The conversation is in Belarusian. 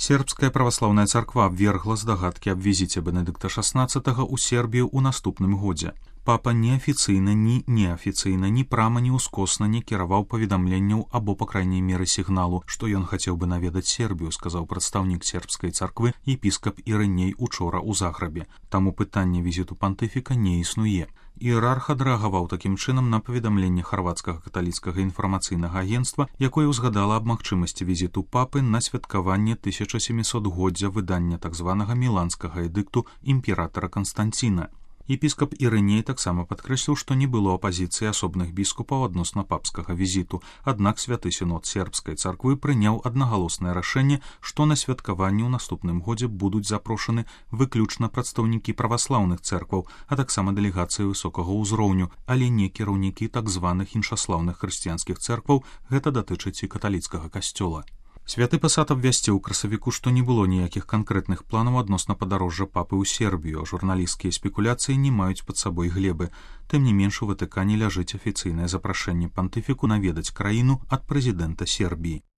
Сербская праваслаўная царква абвергла здагадкі аб візіце Бенедыкта XVI ў Сербію ў наступным годзе. Папа неафіцыйна, ні неафіцыйна, ні прама, ні ўскосна не кіраваў паведамленняў або, па крайняй меры, сігналу, што ён хацеў бы наведаць Сербію, сказаў прадстаўнік сербскай царквы епіскап Ірыней учора ў Заграбе. Таму пытанне візіту пантыфіка не існуе. Іерарх адрэагаваў такім чынам на паведамленне харвацкага каталіцкага інфармацыйнага агенцтва, якое ўзгадала аб магчымасці візіту папы на святкаванне 1700-годдзя выдання так званага міланскага эдыкту імператара Канстанціна. Епіскап Ірыней таксама падкрэсліў, што не было апазіцыі асобных біскупаў адносна папскага візіту, аднак святы сінод сербскай царквы прыняў аднагалоснае рашэнне, што на святкаванні ў наступным годзе будуць запрошаны выключна прадстаўнікі праваслаўных цэркваў, а таксама дэлегацыі высокага ўзроўню, але не кіраўнікі так званых іншаслаўных хрысціянскіх цэркваў, гэта датычыць і каталіцкага касцёла. Святы пасад абвясціў у красавіку, што не было ніякіх канкрэтных планаў адносна падарожжа папы ў Сербію, а журналісцкія спекуляцыі не маюць пад сабой глебы. Тым не менш у Ватыкане ляжыць афіцыйнае запрашэнне пантыфіку наведаць краіну ад прэзідэнта Сербіі.